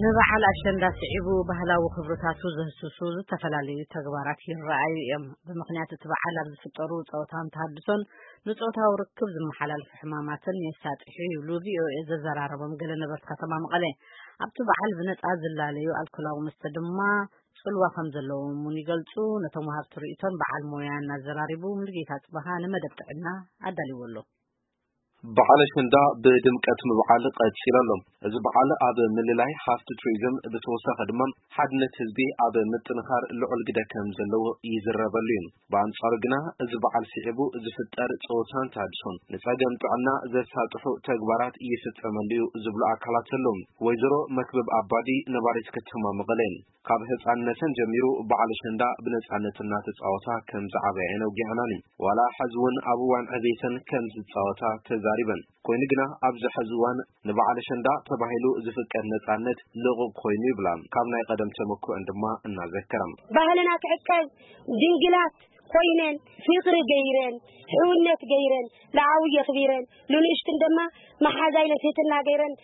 ንበዓል ኣሸንዳ ስዒቡ ባህላዊ ክብርታቱ ዘህስሱ ዝተፈላለዩ ተግባራት ይረኣዩ እዮም። ብምኽንያት እቲ በዓል ኣብ ዝፍጠሩ ጸወታን ተሃድሶን ንጾታዊ ርክብ ዝመሓላለፉ ሕማማትን የሳጥሑ ይብሉ ቪኦኤ ዘዘራረቦም ገለ ነበርቲ ከተማ መቐለ። ኣብቲ በዓል ብነጻ ዝላለዩ ኣልኮላዊ መስተ ድማ ጽልዋ ከም ዘለዎም እውን ይገልጹ። ነቶም ወሃብቲ ርእይቶን በዓል ሞያን ኣዘራሪቡ ሙሉጌታ ጽበሃ ንመደብ ጥዕና ኣዳልዎ ኣሎ። በዓል ኣሸንዳ ብድምቀት ምብዓል ቀጺሉ ኣሎ። እዚ በዓል ኣብ ምልላይ ሃፍቲ ቱሪዝም ብተወሳኺ ድማ ሓድነት ህዝቢ ኣብ ምጥንኻር ልዑል ግደ ከም ዘለዎ ይዝረበሉ እዩ። ብኣንጻሩ ግና እዚ በዓል ስዒቡ ዝፍጠር ጸወታን ተሃድሶን ንጸገም ጥዕና ዘሳጥሑ ተግባራት ይፍጸመሉ እዩ ዝብሉ ኣካላት ኣለዉ። ወይዘሮ መክብብ ኣባዲ ነባሪት ከተማ መቐለ ካብ ህጻንነተን ጀሚሩ በዓል ኣሸንዳ ብነጻነት እናተጻወታ ከም ዝዓበያ እየን ኣውጊዐናኒ። ዋላ ሕዚ እውን ኣብ እዋን ዕቤተን ከም ዝጻወታ ተዛሪበን። ኮይኑ ግና ኣብዚ ሕዚ እዋን ንበዓል ኣሸንዳ ተባሂሉ ዝፍቀድ ነጻነት ልቑቕ ኮይኑ ይብላ። ካብ ናይ ቀደም ተመክሮን ድማ እናዘከራ። ባህልና ክዕቀብ ድንግላት ኮይነን ፍቕሪ ገይረን ሕውነት ገይረን ንዓው የኽቢረን ንንእሽትን ድማ መሓዛ ኢለን ትህትና ገይረን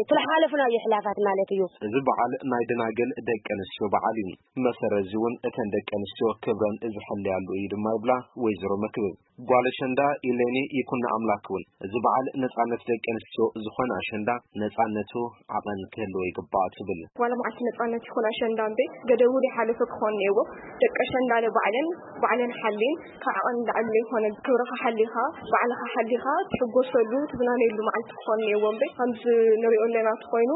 ትልሓለፉና እዩ ሕላፋት ማለት እዩ። እዚ በዓል ናይ ደናግል ደቂ ኣንስትዮ በዓል እዩ። መሰረት እዚ እውን እተን ደቂ ኣንስትዮ ክብረን ዝሕለያሉ እዩ ድማ ይብላ ወይዘሮ መክብብ። ጓል ኣሸንዳ ኢሌኒ ይኩን ኣምላክ እውን እዚ በዓል ነጻነት ደቂ ኣንስትዮ ዝኾነ ኣሸንዳ ነጻነቱ ዓቐን ክህልዎ ይግባእ ትብል። ዋላ መዓልቲ ነጻነት ይኹን ኣሸንዳ እምበይ ገደቡ ዘይሓለፈ ክኾን እኒአዎ። ደቂ ኣሸንዳ ንባዕለን ባዕለን ሓልየን ካብ ዓቐን ንላዕሊ ዘይኮነ ክብርኻ ሓሊኻ ባዕልኻ ሓሊኻ ትሕጎሰሉ ትዝናነየሉ መዓልቲ ክኾን እኒአዎ እምበይ ከምዚ ንሪኦ ኣለና እንተኾይኑ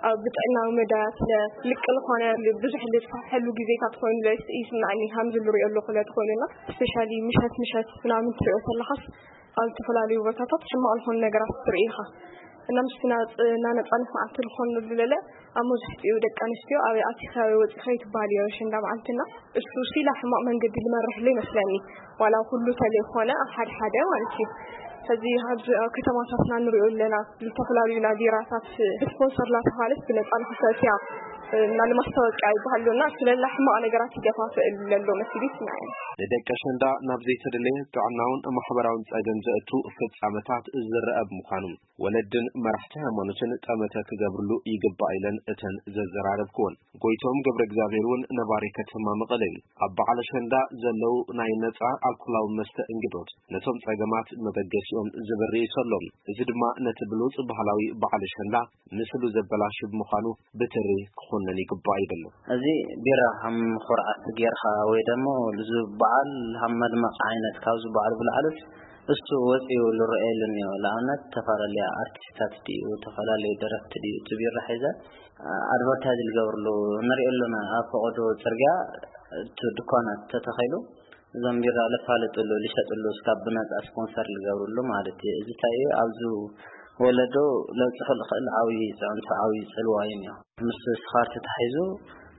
ኣብ ብጥዕናዊ መዳያት ልቂ ዝኾነ ብዙሕ ልትፋሕሉ ግዜታት ኮይኑ ይስምዓኒ። ከምዚ ንሪኦ ኣለኹ ለትኾይኑና ስፔሻሊ ምሸት ምሸት ምናምን ትሪኦ ተለኻስ ኣብ ዝተፈላለዩ ቦታታት ሕማቕ ዝኾኑ ነገራት ትርኢ ኢኻ። እና ምስቲ ናጽ- እና ነጻነት መዓልቲ ዝኾን ንብለለ ኣብ መብዛሕትኡ ደቂ ኣንስትዮ ኣበይ ኣቲኺ ኣበይ ወጺኺ ይትበሃል እዩ ኣሸንዳ መዓልትና። እሱ ሲላ ሕማቕ መንገዲ ዝመርሕሉ ይመስለኒ። ዋላ ኩሉ ተለይኮነ ኣብ ሓደ ሓደ ማለት እዩ። ሕዚ ኣብዚ ኣብ ከተማታትና ንሪኦ ኣለና ዝተፈላለዩ ናዚራታት ስፖንሰር ላተባሃለት ብነጻ ንክሰትያ እና ንማስታወቂያ ይበሃል ኣሎ እና ስለላ ሕማቕ ነገራት ይገፋፍእል ዘሎ መሲሉ ይስምዓኒ። ንደቂ ኣሸንዳ ናብ ዘይተደለየ ጥዕናውን ማሕበራውን ጸገም ዘእቱ ፍጻመታት ዝረአ ብምዃኑ ወለድን መራሕቲ ሃይማኖትን ጠመተ ክገብርሉ ይግባእ ኢለን እተን ዘዘራረብክወን። ጎይቶም ገብረ እግዚኣብሔር እውን ነባሪ ከተማ መቐለ እዩ። ኣብ በዓል ኣሸንዳ ዘለዉ ናይ ነጻ ኣልኮላዊ መስተ እንግዶት ነቶም ጸገማት መበገሲኦም ዝብርህ እዩ ዘሎ። እዚ ድማ ነቲ ብሉጽ ባህላዊ በዓል ኣሸንዳ ምስሉ ዘበላሽ ብምዃኑ ብትሪ ክኹነን ይግባእ ይብል። እዚ ቢራ ከም ኩርዓት ጌርካ ወይ ደሞ እዚ በዓል ከም መድመቂ ዓይነት ካብዚ በዓል ብላዕልስ እሱ ወፂኡ ዝረኣየሉ እኒኦ። ንኣብነት ዝተፈላለያ ኣርቲስታት ድዩ፣ ዝተፈላለዩ ደረፍቲ ድዩ እቲ ቢራ ሒዘ ኣድቨርታይዝ ዝገብርሉ ንሪኦ ኣለና። ኣብ ፈቐዶ ፅርግያ እቲ ድኳናት ተተኺሉ እዞም ቢራ ለፋልጥሉ ልሸጥሉ እስካብ ብነፃ ስፖንሰር ልገብርሉ ማለት እዩ። እዚ እንታይ እዩ ኣብዚ ወለዶ ለብፅሑ ልኽእል ዓብዪ ፅዕንቶ ዓብዪ ፅልዋ እዩ እኒኦ። ምስ ስኻር ተታሒዙ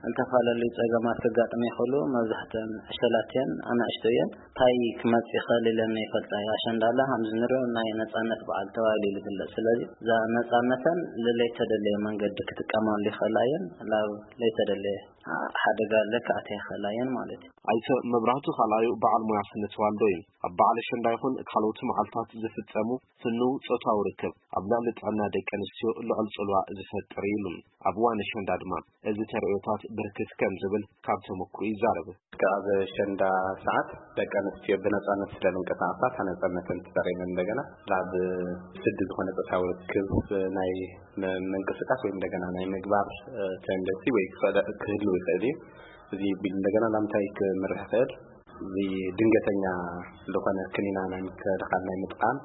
ዝተፈላለዩ ፀገማት ከጋጥሙ ይኽእሉ። መብዛሕተን ዕሸላት እየን፣ ኣናእሽቶ እየን። እንታይ ክመፅእ ይኽእል ኢለን ይፈልጣ እየ። ኣሸንዳላ ከምዚ ንሪኦ ናይ ነፃነት በዓል ተባሂሉ እዩ ዝግለፅ። ስለዚ እዛ ነፃነተን ልለይተደለየ መንገዲ ክጥቀማሉ ይኽእላ እየን። ናብ ለይተደለየ ሓደጋ ለክኣተ ይኽእላ እየን ማለት እዩ። ኣይተ መብራህቱ ካልኣዩ በዓል ሞያ ስነ ተዋልዶ እዩ። ኣብ በዓል ኣሸንዳ ይኹን ካልኦት መዓልታት ዝፍጸሙ ፍኑው ጾታዊ ርክብ ኣብ ልዕሊ ጥዕና ደቂ ኣንስትዮ ልዑል ጽልዋ ዝፈጥር እዩ ኢሉ። ኣብ እዋን ኣሸንዳ ድማ እዚ ተርእዮታት ብርክት ከም ዝብል ካብ ተመክሮ ይዛረብ። ኣብ ኣሸንዳ ሰዓት ደቂ ኣንስትዮ ብነጻነት ስለ ዝንቀሳቐሳ እታ ነጻነተን ተጠቒመን እንደገና ናብ ስዲ ዝኾነ ጾታዊ ርክብ ናይ ም- ምንቅስቃስ ወይም እንደገና ናይ ምግባር ተንደሲ ወይ ክኽእል- ክህልው ይኽእል እዩ። እዚ ቢል እንደገና ናብ እንታይ ክምርሕ ይኽእል? እዚ ድንገተኛ ዝኾነ ክኒና ናይ ምክልኻል ናይ ምጥቃም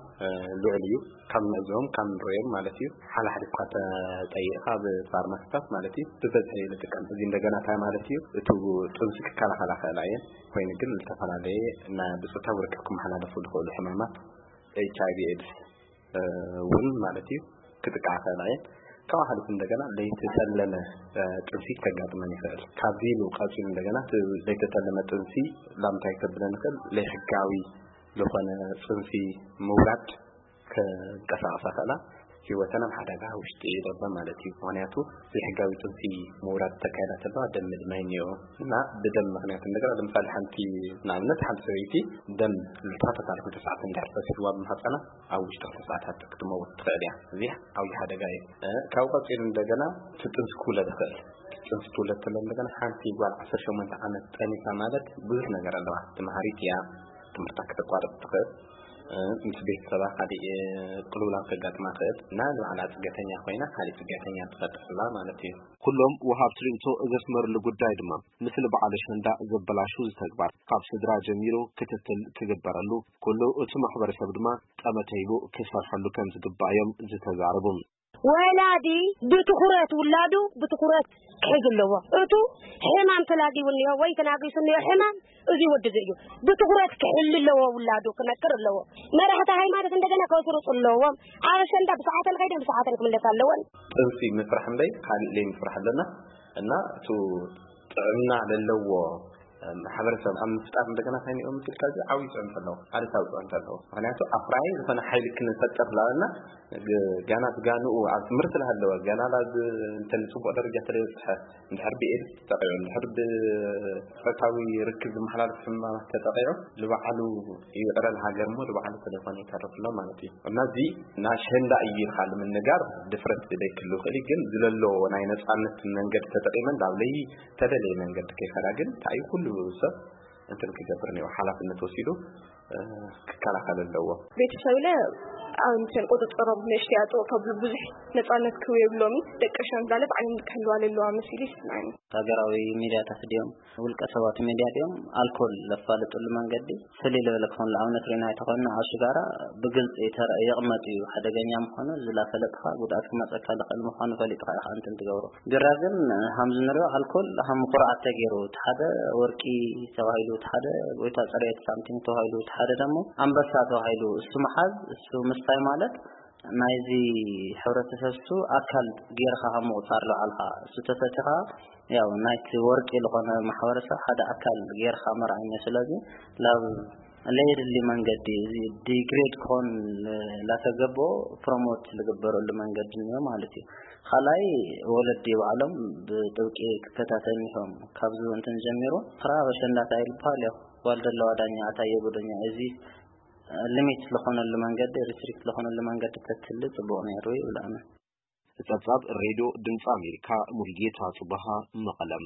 ልዑል እዩ። ካብ ንዕዘቦም ካብ ንሪኦም ማለት እዩ። ሓላሓሊ እኳ ተጠይቕካ ኣብ ፋርማሲታት ማለት እዩ ብበዝሒ ንጥቀም። እዚ እንደገና እንታይ ማለት እዩ? እቲ ጥንሲ ክከላኸላ ክእላ እየን፣ ኮይኑ ግን ዝተፈላለየ እና ብፆታዊ ርክብ ክመሓላለፉ ዝኽእሉ ሕማማት ኤች ኣይ ቪ ኤድስ እውን ማለት እዩ ክጥቃዓ ክእላ እየን። ካብ ሓሊፉ እንደገና ለይተጠለመ ጥንሲ ከጋጥመን ይኽእል። ካብዚ ኢሉ ቀፂሉ እንደገና ለይተጠለመ ጥንሲ ላምታይ ከብለን ይኽእል ለይሕጋዊ ዝኾነ ጥንሲ ምውራድ ከንቀሳቐሳ ክእላ። ህይወተን ኣብ ሓደጋ ውሽጢ ይገባ ማለት እዩ። ምክንያቱ ዘይሕጋዊ ጥንሲ ምውራድ ተካይዳ ተለዋ ደም ምድማይ እኒኦ እና ብደም ምክንያት እንደገና ለምሳሌ ሓንቲ ንኣብነት ሓንቲ ሰበይቲ ደም ልዕሊ ተኸታታሊ ክልተ ሰዓት እንድሕር ፈሲስዋ ብማህፀና ኣብ ውሽጢ ክልተ ሰዓታት ክትመውት ትኽእል እያ። እዚ ዓብዪ ሓደጋ እዩ። ካብ ቀፂሉ እንደገና ትጥንሲ ክውለድ ይኽእል። ትጥንሲ ትውለድ ተሎ እንደገና ሓንቲ ጓል ዓሰርተ ሸሞንተ ዓመት ጠኒሳ ማለት ብዙሕ ነገር ኣለዋ። ትምሃሪት እያ። ትምህርታ ክተቋርጥ ትኽእል። ምስ ቤተሰባ ካሊእ ቅልውላው ከጋጥማ ክእል እና ንባዕላ ፅገተኛ ኮይና ካሊእ ፅገተኛ ትፈጥርላ ማለት እዩ። ኩሎም ወሃብቲ ርእይቶ ዘስመርሉ ጉዳይ ድማ፣ ምስሊ በዓል ኣሸንዳ ዘበላሹ ተግባር ካብ ስድራ ጀሚሩ ክትትል ክግበረሉ፣ ኩሉ እቲ ማሕበረሰብ ድማ ጠመተ ሂቡ ክሰርሐሉ ከም ዝግባእ እዮም ዝተዛረቡ። ወላዲ ብትኹረት ውላዱ ብትኹረት ክሕዝ ኣለዎ። እቱ ሕማም ተላጊቡ እኒኦ ወይ ተናጊሱ እኒኦ ሕማም እዚ ወዲ እዚ እዩ። ብትኹረት ክሕል ኣለዎ፣ ውላዱ ክመክር ኣለዎ። መራሕቲ ሃይማኖት እንደገና ከስርፁ ኣለዎም። ኣብ ኣሸንዳ ብሰዓተን ከይደን ብሰዓተን ክምለስ ኣለወን። ጥንሲ ምፍራሕ እምበይ ካሊእ ለይ ምፍራሕ ኣለና እና እቱ ጥዕና ለለዎ ማሕበረሰብ ኣብ ምፍጣር እንደገና እንታይ ንኦም ምስልካ እዚ ዓብዪ ፅዕንቶ ኣለዎ፣ ኣሉታዊ ፅዕንቶ ኣለዎ። ምክንያቱ ኣፍራይ ዝኾነ ሓይሊ ክንፈጥር ላበልና ገና ስጋንኡ ኣብ ትምህርቲ ዝሃለወ ገና ናብ እንተ ንፅቡቅ ደረጃ ተለይበፅሐ እንድሕር ብኤድስ ተጠቂዑ እንድሕር ብፆታዊ ርክብ ዝመሓላለፍ ሕማማት ተጠቂዑ ንባዕሉ ይዕረ ንሃገር እሞ ንባዕሉ ተለይኮነ ይተርፍ ኣሎ ማለት እዩ። እና እዚ ናሸንዳ እዩ ኢልካ ንምንጋር ድፍረት ዘይክህሉ ይኽእል እዩ። ግን ዝለሎ ናይ ነፃነት መንገዲ ተጠቂመን ናብ ለይ ተደለየ መንገዲ ከይኸዳ ግን እንታይ ኩሉ ሰብ እንትን ክገብር እኒኦ ሓላፍነት ወሲዱ ክከላኸል ኣለዎ። ቤተሰብለ ኣንትን ቁፅፅሮም ንእሽተይ ኣፅብቕ ከብሉ ብዙሕ ነፃነት ክህቡ የብሎምን። ደቂ ሸምዛለ ባዕለን ክሕልዋ ለለዋ መሲሉ ይስምዐኒ። ሃገራዊ ሚድያታት ድዮም ውልቀ ሰባት ሚድያ ድዮም ኣልኮል ለፋልጥሉ መንገዲ ፍልይ ልበለ ክኾን ንኣብነት ሪና ኣይተኾንና ኣብ ሽጋራ ብግልፂ ተረ የቕመጥ እዩ ሓደገኛ ምዃኑ ዝላፈለጥኻ ጉድኣት ክመፀካ ልኽእል ምዃኑ ፈሊጥኻ ኢኻ እንትን ትገብሮ ቢራ ግን ሃምዚ ንሪኦ ኣልኮል ሃም ኩርዓት ተገይሩ እቲ ሓደ ወርቂ ተባሂሉ እቲ ሓደ ጎይታ ፅሬት ሳምቲንግ ተባሂሉ እቲ ሓደ ደሞ ኣንበሳ ተባሂሉ እሱ ምሓዝ እሱ ምስታይ ማለት ናይዚ ሕብረተሰብ እሱ ኣካል ገይርካ ካብ ምቁፃር ልዓልካ እሱ ተሰቲኻ ያው ናይቲ ወርቂ ዝኾነ ማሕበረሰብ ሓደ ኣካል ገይርካ መርኣኛ ስለዚ ላብ ለየድሊ መንገዲ እዚ ዲግሬድ ክኾን ላተገበኦ ፕሮሞት ዝግበረሉ መንገዲ እኒኦ ማለት እዩ። ካልኣይ ወለዲ ባዕሎም ብጥብቂ ክከታተል እዮም ካብዚ እንትን ጀሚሩ ክራ በሸንዳታ ይልበሃል ያው ጓል ደለዋ ዳኛ ኣታ የጉደኛ እዚ ሊሚት ዝኾነሉ መንገዲ ሪስትሪክት ዝኾነሉ መንገዲ ተትህሊ ፅቡቕ ነይሩ ይብል ኣነ። ጸብጻብ ሬድዮ ድምጺ ኣሜሪካ፣ ሙሉጌታ ጽባሃ፣ መቐለም።